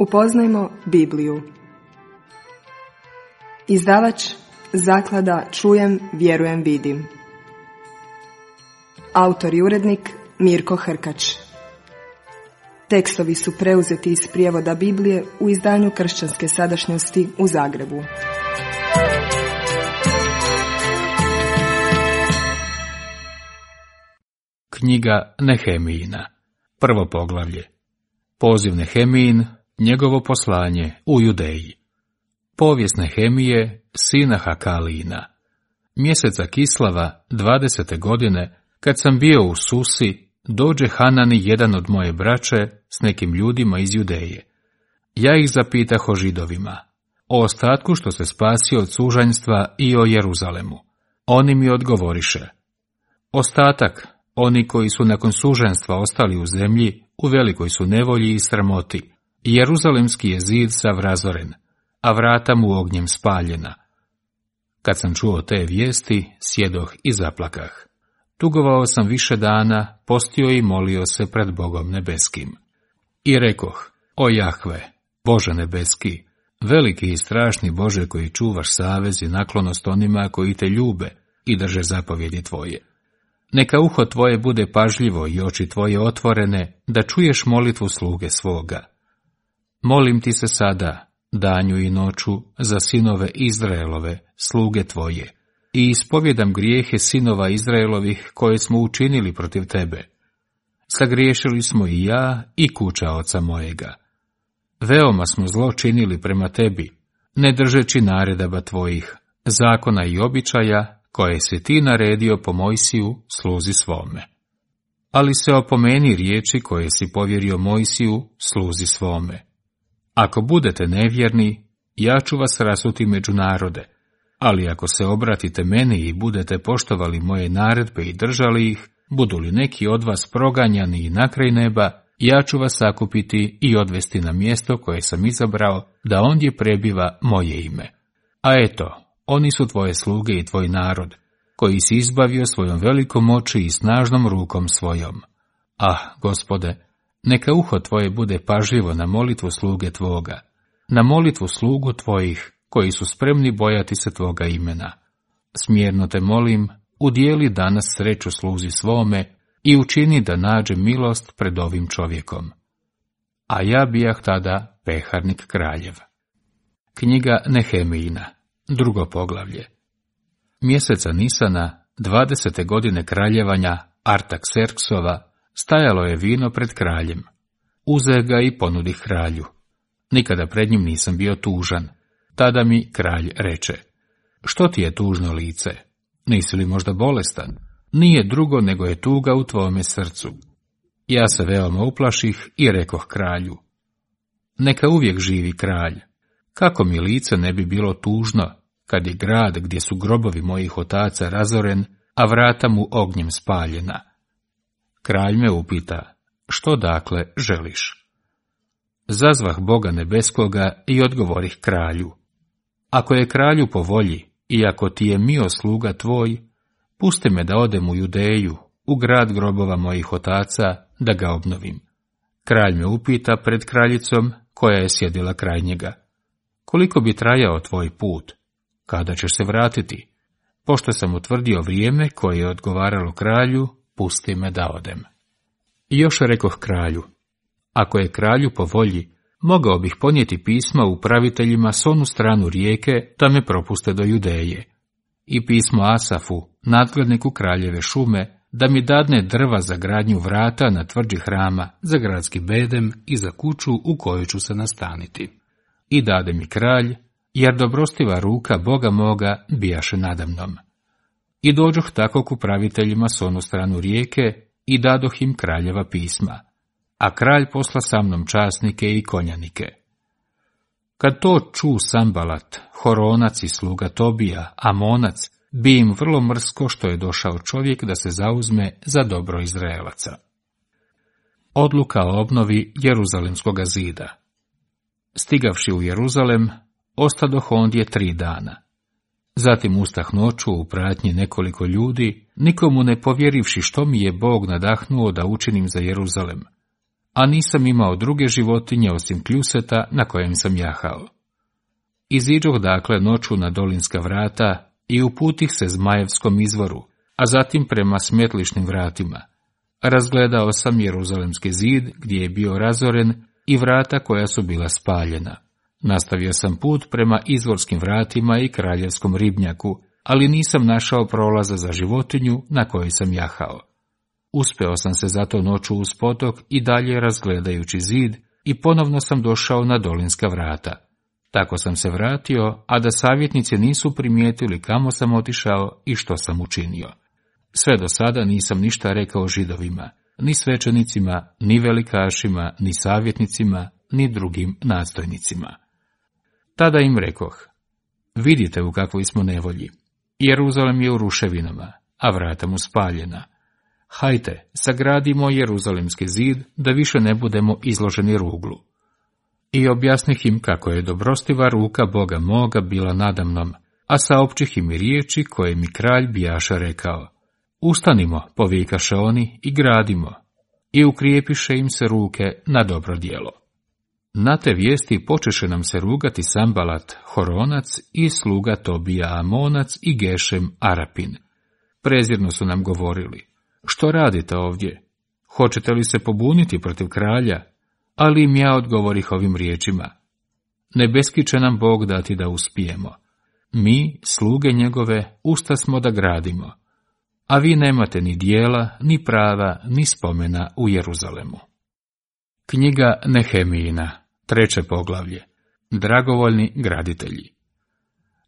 Upoznajmo Bibliju. Izdavač Zaklada Čujem, vjerujem, vidim. Autor i urednik Mirko Hrkač. Tekstovi su preuzeti iz prijevoda Biblije u izdanju Kršćanske sadašnjosti u Zagrebu. Knjiga Nehemijina, prvo poglavlje. Poziv Nehemijin, njegovo poslanje u Judeji. Povijest Nehemije, sina Hakalijina. Mjeseca Kislava, 20. godine, kad sam bio u Susi, dođe Hanani, jedan od moje braće, s nekim ljudima iz Judeje. Ja ih zapitah o Židovima, o ostatku što se spasio od sužanjstva i o Jeruzalemu. Oni mi odgovoriše: ostatak, oni koji su nakon suženstva ostali u zemlji, u velikoj su nevolji i sramoti. Jeruzalemski je zid sav razoren, a vrata mu ognjem spaljena. Kad sam čuo te vijesti, sjedoh i zaplakah. Tugovao sam više dana, postio i molio se pred Bogom nebeskim. I rekoh: o Jahve, Bože nebeski, veliki i strašni Bože koji čuvaš savez i naklonost onima koji te ljube i drže zapovjedi tvoje. Neka uho tvoje bude pažljivo i oči tvoje otvorene, da čuješ molitvu sluge svoga. Molim ti se sada, danju i noću, za sinove Izraelove, sluge tvoje, i ispovjedam grijehe sinova Izraelovih koje smo učinili protiv tebe. Sagriješili smo i ja i kuća oca mojega. Veoma smo zlo činili prema tebi, ne držeći naredaba tvojih, zakona i običaja, koje si ti naredio po Mojsiju, sluzi svome. Ali se opomeni riječi koje si povjerio Mojsiju, sluzi svome. Ako budete nevjerni, ja ću vas rasuti među narode, ali ako se obratite meni i budete poštovali moje naredbe i držali ih, budu li neki od vas proganjani i na kraj neba, ja ću vas sakupiti i odvesti na mjesto koje sam izabrao, da ondje prebiva moje ime. A eto, oni su tvoje sluge i tvoj narod, koji si izbavio svojom velikom moći i snažnom rukom svojom. Ah, Gospode, neka uho tvoje bude pažljivo na molitvu sluge tvoga, na molitvu slugu tvojih, koji su spremni bojati se tvoga imena. Smjerno te molim, udijeli danas sreću sluzi svome i učini da nađe milost pred ovim čovjekom. A ja bijah tada peharnik kraljev. Knjiga Nehemijina, drugo poglavlje. Mjeseca Nisana, 20. godine kraljevanja Artakserksova, stajalo je vino pred kraljem. Uze ga i ponudi kralju. Nikada pred njim nisam bio tužan. Tada mi kralj reče: što ti je tužno lice? Nisi li možda bolestan? Nije drugo nego je tuga u tvome srcu. Ja se veoma uplaših i rekoh kralju: neka uvijek živi kralj. Kako mi lice ne bi bilo tužno, kad je grad gdje su grobovi mojih otaca razoren, a vrata mu ognjem spaljena? Kralj me upita: što dakle želiš? Zazvah Boga nebeskoga i odgovorih kralju: ako je kralju po volji i ako ti je mio sluga tvoj, pusti me da odem u Judeju, u grad grobova mojih otaca, da ga obnovim. Kralj me upita pred kraljicom, koja je sjedila kraj njega: koliko bi trajao tvoj put? Kada ćeš se vratiti? Pošto sam utvrdio vrijeme koje je odgovaralo kralju, pusti me da odem. I još rekoh kralju: ako je kralju po volji, mogao bih ponijeti pisma upraviteljima s onu stranu rijeke, da me propuste do Judeje, i pismo Asafu, nadgledniku kraljeve šume, da mi dadne drva za gradnju vrata na tvrđi hrama, za gradski bedem i za kuću u kojoj ću se nastaniti. I dade mi kralj, jer dobrostiva ruka Boga moga bijaše nadamnom. I dođoh tako k upraviteljima s onu stranu rijeke i dadoh im kraljeva pisma, a kralj posla sa mnom časnike i konjanike. Kad to ču Sambalat, Horonac i sluga Tobija, Amonac, bi im vrlo mrsko što je došao čovjek da se zauzme za dobro Izraelaca. Odluka o obnovi Jeruzalemskoga zida. Stigavši u Jeruzalem, ostadoh ondje 3 dana. Zatim ustah noću u pratnji nekoliko ljudi, nikomu ne povjerivši što mi je Bog nadahnuo da učinim za Jeruzalem. a nisam imao druge životinje osim kljuseta na kojem sam jahao. Iziđoh dakle noću na dolinska vrata i uputih se Zmajevskom izvoru, a zatim prema smetlišnim vratima. Razgledao sam Jeruzalemski zid gdje je bio razoren i vrata koja su bila spaljena. Nastavio sam put prema izvorskim vratima i kraljevskom ribnjaku, ali nisam našao prolaza za životinju na kojoj sam jahao. Uspeo sam se zato noću uz potok i dalje razgledajući zid i ponovno sam došao na dolinska vrata. Tako sam se vratio, a da savjetnici nisu primijetili kamo sam otišao i što sam učinio. Sve do sada nisam ništa rekao Židovima, ni svećenicima, ni velikašima, ni savjetnicima, ni drugim nadstojnicima. Tada im rekoh: vidite u kakvoj smo nevolji. Jeruzalem je u ruševinama, a vrata mu spaljena. Hajte, sagradimo Jeruzalemski zid, da više ne budemo izloženi ruglu. I objasnih im kako je dobrostiva ruka Boga moga bila nadamnom, a saopćih im riječi koje mi kralj bijaše rekao: ustanimo, povikaše oni, i gradimo. I ukrijepiše im se ruke na dobro djelo. Na te vijesti počeše nam se rugati Sambalat, Horonac, i sluga Tobija Amonac i Gešem Arapin. Prezirno su nam govorili: što radite ovdje? Hoćete li se pobuniti protiv kralja? Ali im ja odgovorih ovim riječima: nebeski će nam Bog dati da uspijemo. Mi, sluge njegove, usta smo da gradimo, a vi nemate ni dijela, ni prava, ni spomena u Jeruzalemu. Knjiga Nehemijina, 3. poglavlje. Dragovoljni graditelji.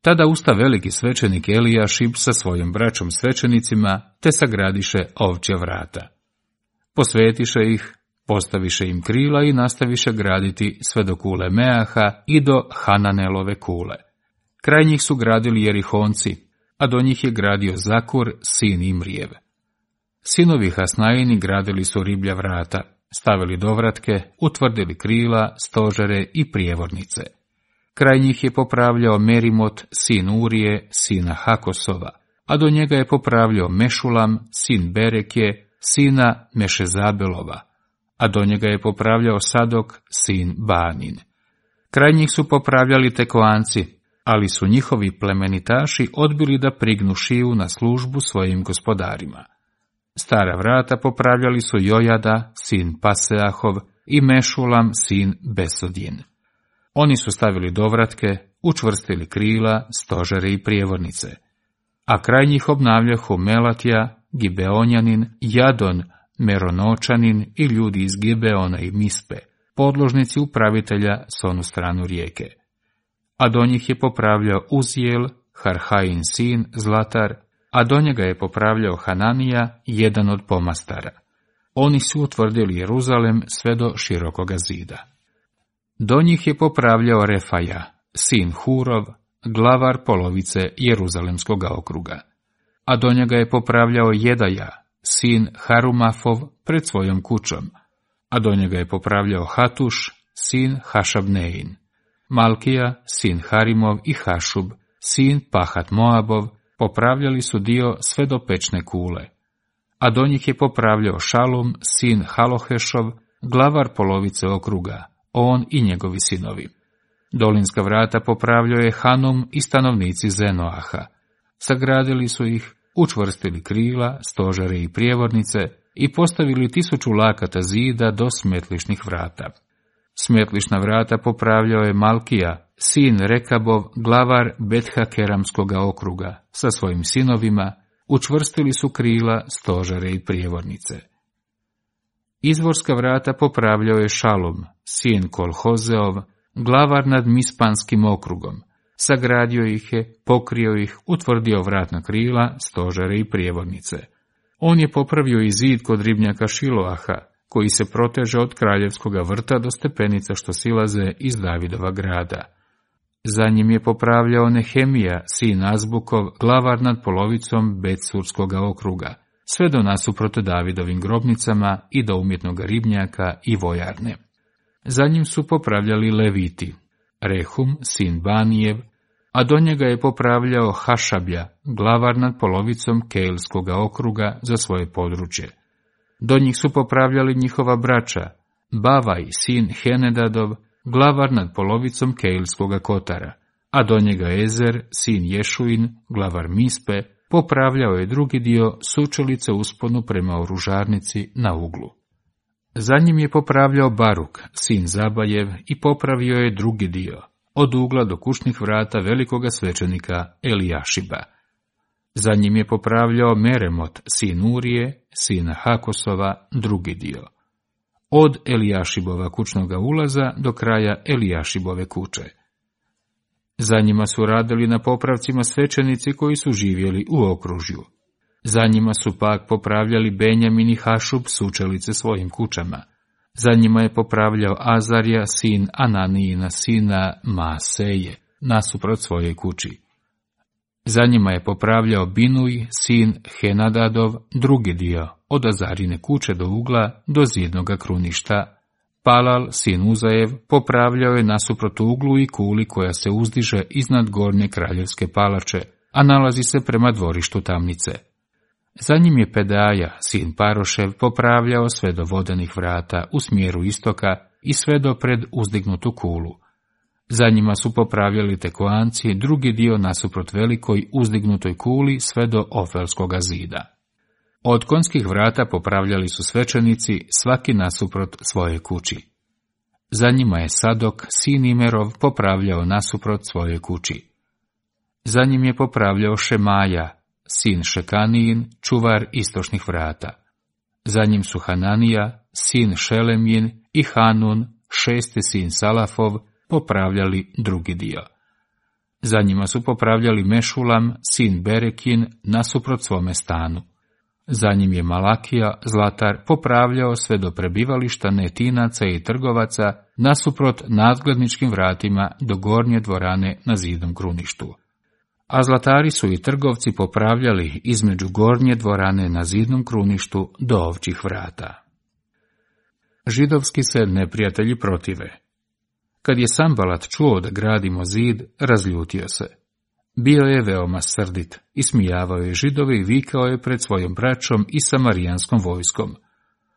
Tada usta veliki svećenik Elijašib sa svojim braćom svećenicima, te sagradiše ovčja vrata. Posvetiše ih, postaviše im krila i nastaviše graditi sve do kule Meaha i do Hananelove kule. Kraj njih su gradili Jerihonci, a do njih je gradio Zakur, sin Imrijev. Sinovi Hasnajini gradili su riblja vrata, stavili dovratke, utvrdili krila, stožere i prijevornice. Kraj njih je popravljao Merimot, sin Urije, sina Hakosova, a do njega je popravljao Mešulam, sin Berekje, sina Mešezabelova, a do njega je popravljao Sadok, sin Banin. Kraj njih su popravljali Tekoanci, ali su njihovi plemenitaši odbili da prignu šiju na službu svojim gospodarima. Stara vrata popravljali su Jojada, sin Paseahov, i Mešulam, sin Besodin. Oni su stavili dovratke, učvrstili krila, stožere i prijevornice. A kraj njih obnavljahu Melatija, Gibeonjanin, Jadon, Meronočanin i ljudi iz Gibeona i Mispe, podložnici upravitelja s onu stranu rijeke. A do njih je popravljao Uzijel, Harhain sin, Zlatar, a do njega je popravljao Hananija, jedan od pomastara. Oni su utvrdili Jeruzalem sve do širokoga zida. Do njih je popravljao Refaja, sin Hurov, glavar polovice Jeruzalemskog okruga. A do njega je popravljao Jedaja, sin Harumafov, pred svojom kućom. A do njega je popravljao Hatuš, sin Hašabnein. Malkija, sin Harimov, i Hašub, sin Pahat Moabov, popravljali su dio sve do pečne kule. A do njih je popravljao Šalum, sin Halohešov, glavar polovice okruga, on i njegovi sinovi. Dolinska vrata popravljao je Hanum i stanovnici Zenoaha. Sagradili su ih, učvrstili krila, stožere i prijevornice i postavili 1000 lakata zida do smetlišnih vrata. Smetlišna vrata popravljao je Malkija, sin Rekabov, glavar Bethakeramskoga okruga, sa svojim sinovima, učvrstili su krila, stožere i prijevornice. Izvorska vrata popravljao je Šalum, sin Kolhozeov, glavar nad Mispanskim okrugom. Sagradio ih je, pokrio ih, utvrdio vratna krila, stožere i prijevodnice. On je popravio i zid kod ribnjaka Šiloaha, koji se proteže od kraljevskoga vrta do stepenica što silaze iz Davidova grada. Za njim je popravljao Nehemija, sin Azbukov, glavar nad polovicom Betsurskoga okruga, sve do nasuprot Davidovim grobnicama i do umjetnog ribnjaka i vojarne. Za njim su popravljali Leviti, Rehum, sin Banijev, a do njega je popravljao Hašablja, glavar nad polovicom Keilskoga okruga za svoje područje. Do njih su popravljali njihova braća, Bavaj, sin Henedadov, glavar nad polovicom Keilskoga kotara, a do njega Ezer, sin Ješuin, glavar Mispe, popravljao je drugi dio sučelice usponu prema oružarnici na uglu. Za njim je popravljao Baruk, sin Zabajev, i popravio je drugi dio, od ugla do kućnih vrata velikoga svećenika Elijašiba. Za njim je popravljao Meremot, sin Urije, sina Hakosova, drugi dio, od Elijašibova kućnoga ulaza do kraja Elijašibove kuće. Za njima su radili na popravcima svećenici koji su živjeli u okružju. Za njima su pak popravljali Benjamin i Hašub sučelice svojim kućama. Za njima je popravljao Azarija, sin Ananijina, sina Maaseje, nasuprot svojoj kući. Za njima je popravljao Binuj, sin Henadadov, drugi dio, od Azarine kuće do ugla, do zidnoga kruništa. Palal, sin Uzajev, popravljao je nasuprot uglu i kuli koja se uzdiže iznad gornje kraljevske palače, a nalazi se prema dvorištu tamnice. Za njim je Pedaja, sin Parošev, popravljao sve do vodenih vrata u smjeru istoka i sve do pred uzdignutu kulu. Za njima su popravljali Tekoanci drugi dio nasuprot velikoj uzdignutoj kuli sve do Ofelskoga zida. Od konjskih vrata popravljali su svećenici svaki nasuprot svoje kući. Za njima je Sadok, sin Imerov, popravljao nasuprot svoje kući. Za njim je popravljao Šemaja, sin Šekanijin, čuvar istočnih vrata. Za njim su Hananija, sin Šelemjin, i Hanun, šesti sin Salafov, popravljali drugi dio. Za njima su popravljali Mešulam, sin Berekin, nasuprot svome stanu. Za njim je Malakija, zlatar, popravljao sve do prebivališta netinaca i trgovaca nasuprot nadgledničkim vratima do gornje dvorane na zidnom kruništu. A zlatari su i trgovci popravljali između gornje dvorane na zidnom kruništu do ovčjih vrata. Židovski se neprijatelji protive. Kad je Sambalat čuo da gradimo zid, razljutio se. Bio je veoma srdit, ismijavao je Židove i vikao je pred svojom braćom i samarijanskom vojskom.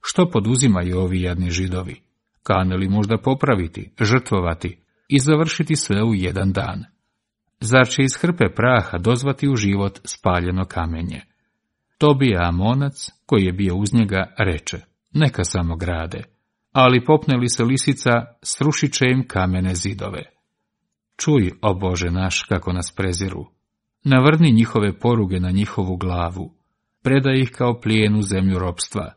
Što poduzimaju ovi jadni Židovi? Kane li možda popraviti, žrtvovati i završiti sve u jedan dan? Zar će iz hrpe praha dozvati u život spaljeno kamenje? Tobija Amonac, koji je bio uz njega, reče, neka samo grade, ali popne li se lisica, srušit će im kamene zidove. Čuj, o Bože naš, kako nas preziru. Navrni njihove poruge na njihovu glavu, predaj ih kao plijen u zemlju ropstva.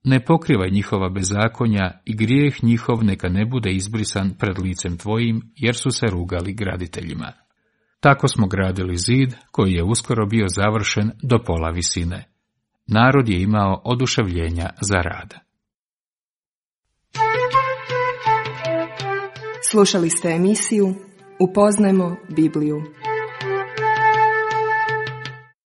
Ne pokrivaj njihova bezakonja i grijeh njihov neka ne bude izbrisan pred licem tvojim, jer su se rugali graditeljima. Tako smo gradili zid, koji je uskoro bio završen do pola visine. Narod je imao oduševljenja za rad. Slušali ste emisiju Upoznajmo Bibliju.